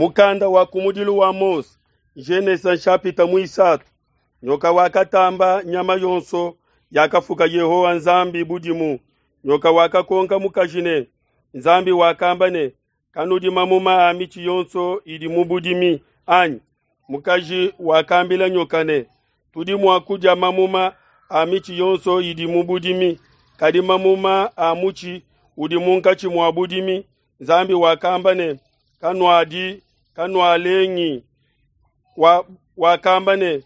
Mukanda wa kumudilu wa Mose, Genesa nshapita muisatu. Nyoka wakatamba nyama yonso yakafuka Yehowa Nzambi budimu. Nyoka wakakonka mukaji ne, Nzambi wakamba ne, kanudi mamuma a mitshi yonso idi mu budimi anyi? Mukaji wakambila nyoka ne, tudi mua kudia mamuma a mitshi yonso idi mu budimi, kadi mamuma a mutshi udi munkatshi mua budimi, Nzambi wakamba ne, kanuadi, kanualengi. Wakamba ne,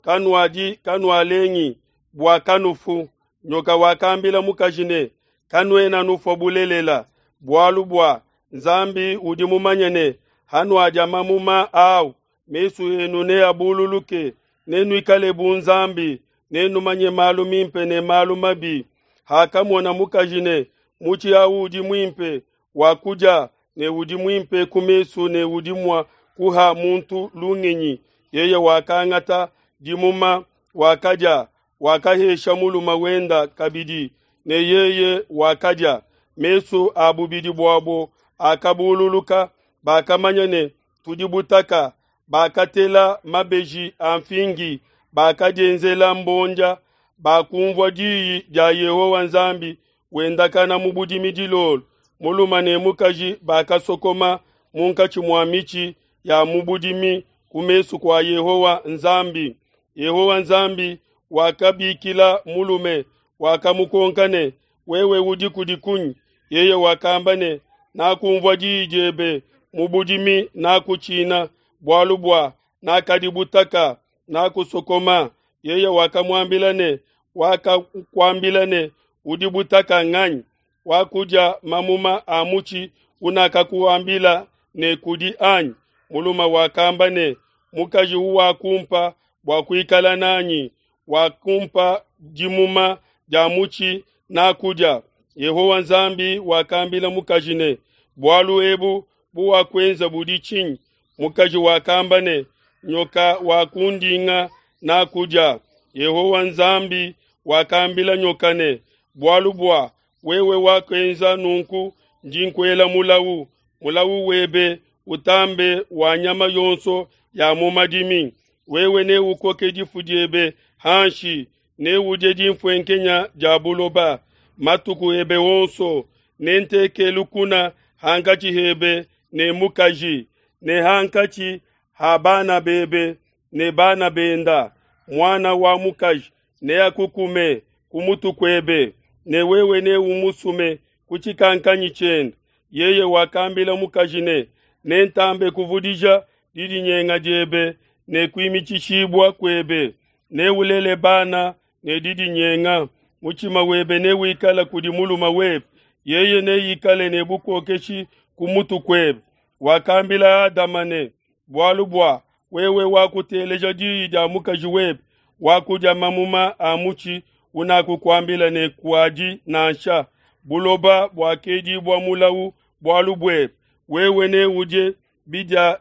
kanuadi, kanualengi bua kanufu. Nyoka wakambila mukaji ne, kanuena nufua bulelela, bualu bua Nzambi udi mumanye ne, hanuadia mamuma au, mesu enu neabululuke, nenuikale bu Nzambi, nenumanye malu mimpe ne malu mabi. Hakamona mukaji ne, mutshi au udi muimpe wa kudia ne udi muimpe ku mesu ne udi mua kuha muntu lungenyi, yeye wakangata dimuma, wakadia, wakahesha mulume wenda kabidi, ne yeye wakadia. Mesu a bubidi buabo akabululuka, bakamanya ne, tudi butaka. Bakatela mabeji a mfingi, bakadienzela mbondia. Bakumvua diyi dia Yehowa Nzambi wendakana mu budimi dilolo. Mulume ne mukaji bakasokoma munkatshi mua mitshi ya mu budimi ku mesu kua Yehowa Nzambi. Yehowa Nzambi wakabikila mulume, wakamukonka ne, wewe udi kudi kunyi? Yeye wakamba ne, nakumvua diyi diebe mu budimi, nakutshina, bualu bua nakadi butaka, nakusokoma. Yeye wakamuambila ne, wakakuambila ne, udi butaka nganyi? Wakudia mamuma a mutshi unakakuambila ne kudi anyi? Mulume wakamba ne, mukaji uwakumpa bua kuikala nanyi, wakumpa dimuma dia mutshi nakudia. Yehowa Nzambi wakambila mukaji ne, bualu ebu buwakuenza budi tshinyi? Mukaji wakamba ne, nyoka wakundinga nakudia. Yehowa Nzambi wakambila nyoka ne, bualu bua wewe wakuenza nunku, ndi nkuela mulawu. Mulawu webe utambe wa nyama yonso ya mu madimi. Wewe neukoke difu diebe hanshi, neudie dimfuenkenya dia buloba matuku ebe wonso. Nenteke lukuna hankatshi hebe ne mukaji, ne hankatshi ha bana bebe ne bana benda. Muana wa mukaji neakukume ku mutu kuebe, ne wewe neumusume ku tshikankanyi tshiende. Yeye wakambila mukaji ne, nentambe kuvudija didinyenga diebe ne kuimitshishibua kuebe, neulele bana ne didinyenga. Mutshima webe newikale kudi mulume webe, yeye neikale ne bukokeshi ku mutu kuebe. Wakambila Adama ne, bualu bua wewe wakuteleja diyi dia mukaji webe, wakudia mamuma a mutshi unakukuambila ne kuadi nansha, buloba buakedibua mulawu bualu buebe. Wewe neudie bidia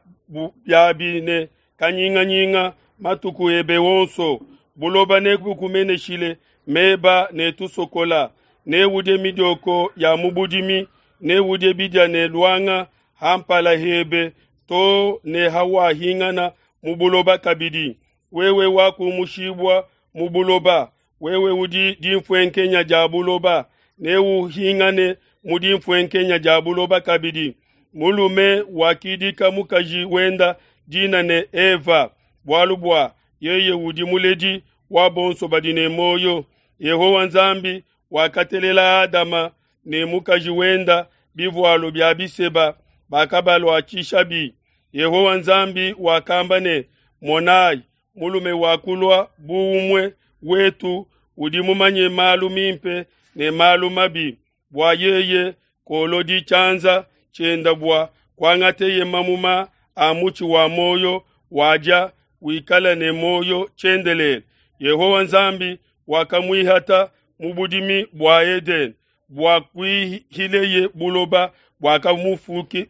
biabi ne kanyinganyinga matuku ebe wonso. Buloba nebukumeneshile meba ne tusokola, neudie midioko ya mu budimi, neudie bidia ne luanga ha mpala hebe to ne hawahingana mu buloba kabidi. Wewe wakumushibua mu buloba, wewe udi dimfuenkenya dia buloba, neuhingane mu dimfuenkenya dia buloba kabidi. Mulume wakidika mukaji wenda dina ne Eva, bualu bua yeye udi muledi wa bonso badi ne muoyo. Yehowa Nzambi wakatelela Adama ne mukaji wenda bivualu bia biseba, bakabaluatshishabi. Yehowa Nzambi wakamba ne, monayi, mulume wakulua bu umue wetu udi mumanye malu mimpe ne malu mabi, bua yeye kolodi tshianza tshienda bua kuangateye mamuma a mutshi wa muoyo wadia, wikala ne muoyo tshiendelele. Yehowa Nzambi wakamuihata mu budimi bua Edene bua kuihileye buloba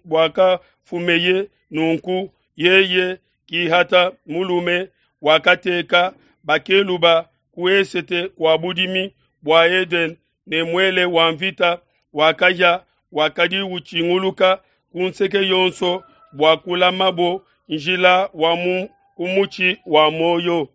buakafumeye. Nunku yeye kihata mulume, wakateka bakeluba ku esete kua budimi bua Edene ne muele wa mvita wakahia wakadi utshinguluka ku nseke yonso bua kulamabo njila wa mu ku mutshi wa muoyo.